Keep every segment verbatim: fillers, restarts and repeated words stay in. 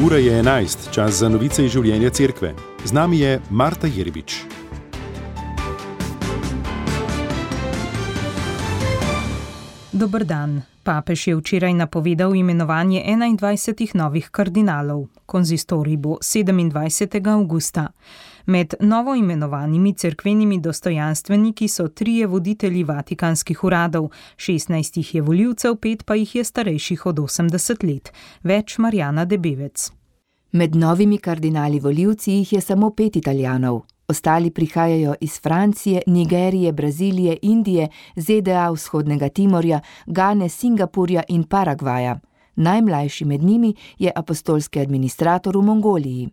Ura je enajst, čas za novice iz življenja cerkve. Z nami je Marta Jerbič. Dober dan. Papež je včeraj napovedal imenovanje enaindvajsetih novih kardinalov. Konzistorij bo sedemindvajsetega avgusta. Med novo imenovanimi cerkvenimi dostojanstveniki so trije voditelji vatikanskih uradov, šestnajst jih je volivcev, pet pa jih je starejših od osemdeset let. Več Marjana Debevec. Med novimi kardinali volivci jih je samo pet Italijanov. Ostali prihajajo iz Francije, Nigerije, Brazilije, Indije, ZDA, Vzhodnega Timorja, Gane, Singapurja in Paragvaja. Najmlajši med njimi je apostolski administrator v Mongoliji.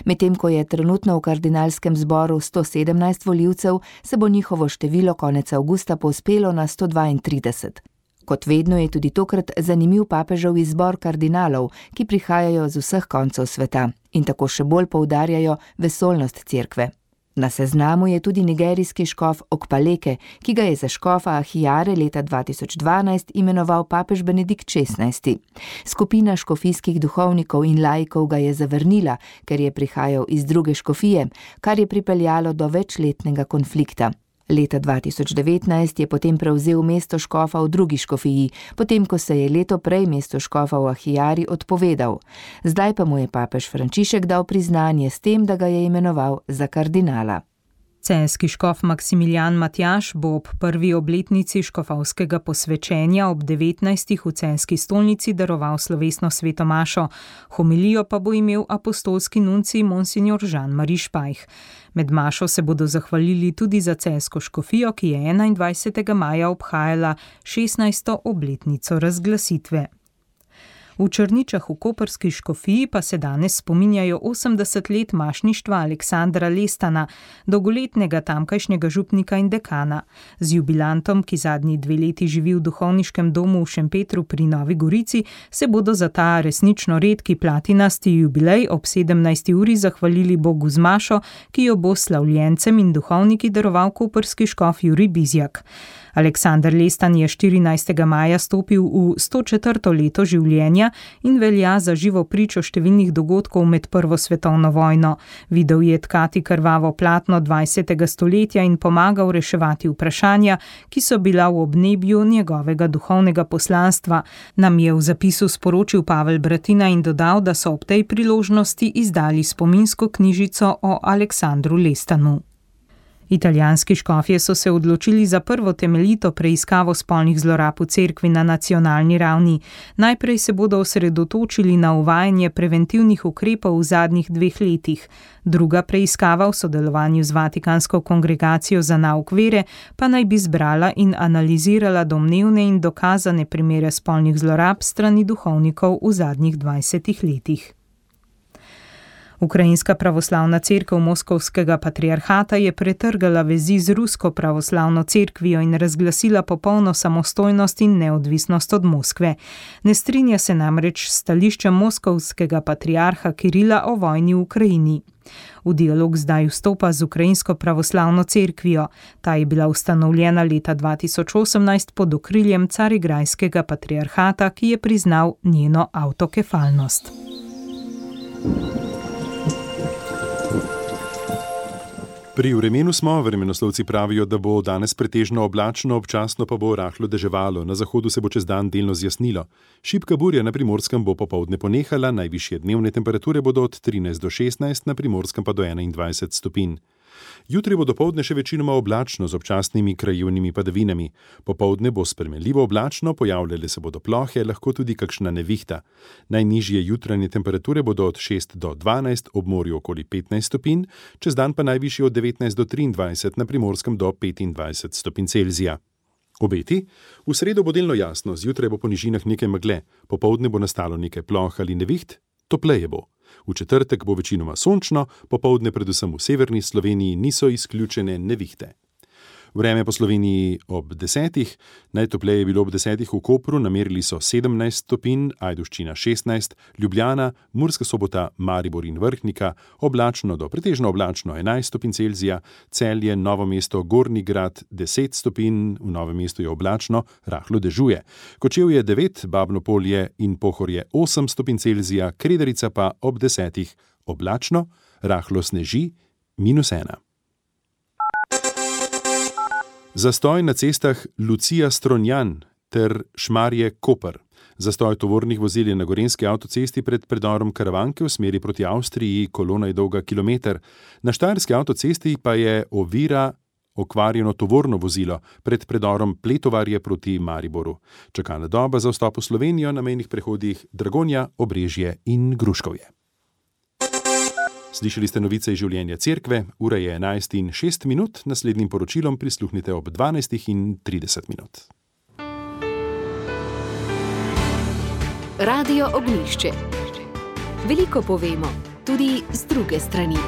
Medtem ko je trenutno v kardinalskem zboru sto sedemnajst volivcev, se bo njihovo število konec avgusta povzpelo na sto dvaintrideset. Kot vedno je tudi tokrat zanimiv papežev izbor kardinalov, ki prihajajo z vseh koncev sveta in tako še bolj poudarjajo vesoljnost cerkve. Na seznamu je tudi nigerijski škof Okpaleke, ki ga je za škofa Ahijare leta dva tisoč dvanajst imenoval papež Benedikt šestnajsti. Skupina škofijskih duhovnikov in laikov ga je zavrnila, ker je prihajal iz druge škofije, kar je pripeljalo do večletnega konflikta. Leta dva tisoč devetnajst je potem prevzel mesto škofa v drugi škofiji, potem ko se je leto prej mesto škofa v Ahijari odpovedal. Zdaj pa mu je papež Frančišek dal priznanje s tem, da ga je imenoval za kardinala. Celjski škof Maksimilijan Matjaž bo ob prvi obletnici škofovskega posvečenja ob devetnajstih v celjski stolnici daroval slovesno sveto mašo. Homilijo pa bo imel apostolski nuncij monsignor Jean-Marie Špajh. Med mašo se bodo zahvalili tudi za celjsko škofijo, ki je enaindvajsetega maja obhajala šestnajsto obletnico razglasitve. V Črničah v koprski škofiji pa se danes spominjajo osemdeset let mašništva Aleksandra Lestana, dolgoletnega tamkajšnjega župnika in dekana. Z jubilantom, ki zadnji dve leti živi v duhovniškem domu v Šempetru pri Novi Gorici, se bodo za ta resnično redki platinasti jubilej ob sedemnajsti uri zahvalili Bogu z mašo, ki jo bo slavljencem in duhovniki daroval koprski škof Jurij Bizjak. Aleksander Lestan je štirinajstega maja stopil v sto četrto leto življenja in velja za živo pričo številnih dogodkov med prvo svetovno vojno. Videl je tkati krvavo platno dvajsetega stoletja in pomagal reševati vprašanja, ki so bila v obnebju njegovega duhovnega poslanstva, nam je v zapisu sporočil Pavel Bratina in dodal, da so ob tej priložnosti izdali spominsko knjižico o Aleksandru Lestanu. Italijanski škofje so se odločili za prvo temeljito preiskavo spolnih zlorab v cerkvi na nacionalni ravni. Najprej se bodo osredotočili na uvajanje preventivnih ukrepov v zadnjih dveh letih. Druga preiskava v sodelovanju z Vatikansko kongregacijo za nauk vere pa naj bi zbrala in analizirala domnevne in dokazane primere spolnih zlorab strani duhovnikov v zadnjih dvajsetih letih. Ukrajinska pravoslavna cerkev Moskovskega patriarhata je pretrgala vezi z rusko pravoslavno cerkvijo in razglasila popolno samostojnost in neodvisnost od Moskve. Ne strinja se namreč s stališčem moskovskega patriarha Kirila o vojni v Ukrajini. V dialog zdaj vstopa z ukrajinsko pravoslavno cerkvijo. Ta je bila ustanovljena leta dva tisoč osemnajst pod okriljem carigrajskega patriarhata, ki je priznal njeno avtokefalnost. Pri vremenu smo, vremenoslovci pravijo, da bo danes pretežno oblačno, občasno pa bo rahlo deževalo, na zahodu se bo čez dan delno zjasnilo. Šibka burja na Primorskem bo popoldne ponehala, najvišje dnevne temperature bodo od trinajst do šestnajst, na Primorskem pa do enaindvajset stopinj. Jutri bo dopoldne še večinoma oblačno z občasnimi krajevnimi padavinami. Popoldne bo spremenljivo oblačno, pojavljale se bodo plohe, lahko tudi kakšna nevihta. Najnižje jutranje temperature bodo od šest do dvanajst, ob morju okoli petnajst stopinj, čez dan pa najvišji od devetnajst do triindvajset, na Primorskem do petindvajset stopinj Celzija. Obeti? V sredo bo delno jasno, zjutraj bo po nižinah nekaj megle, popoldne bo nastalo nekaj ploh ali neviht, topleje bo. V četrtek bo večinoma sončno, popoldne predvsem v severni Sloveniji niso izključene nevihte. Vreme po Sloveniji ob desetih, najtopleje je bilo ob desetih v Kopru, namerili so sedemnajst stopinj, Ajdovščina šestnajst, Ljubljana, Murska Sobota, Maribor in Vrhnika, oblačno do pretežno oblačno enajst stopinj Celzija, Celje, Novo mesto, Gornji Grad deset stopinj, v Novem mestu je oblačno, rahlo dežuje. Kočevje devet, Babno Polje in Pohorje osem stopinj Celzija, Kredarica pa ob desetih oblačno, rahlo sneži, minus ena. Zastoj na cestah Lucija-Strunjan ter Šmarje-Koper. Zastoj tovornih vozil je na gorenjski avtocesti pred predorom Karavanke v smeri proti Avstriji, kolona je dolga kilometer. Na štajerski avtocesti pa je ovira okvarjeno tovorno vozilo pred predorom Pletovarje proti Mariboru. Čakalna doba za vstop v Slovenijo na mejnih prehodih Dragonja, Obrežje in Gruškovje. Slišali ste novice iz življenja cerkve, ura je enajst in šest minut, naslednjim poročilom prisluhnite ob dvanajst in trideset minut. Radio Ognjišče. Veliko povemo, tudi z druge strani.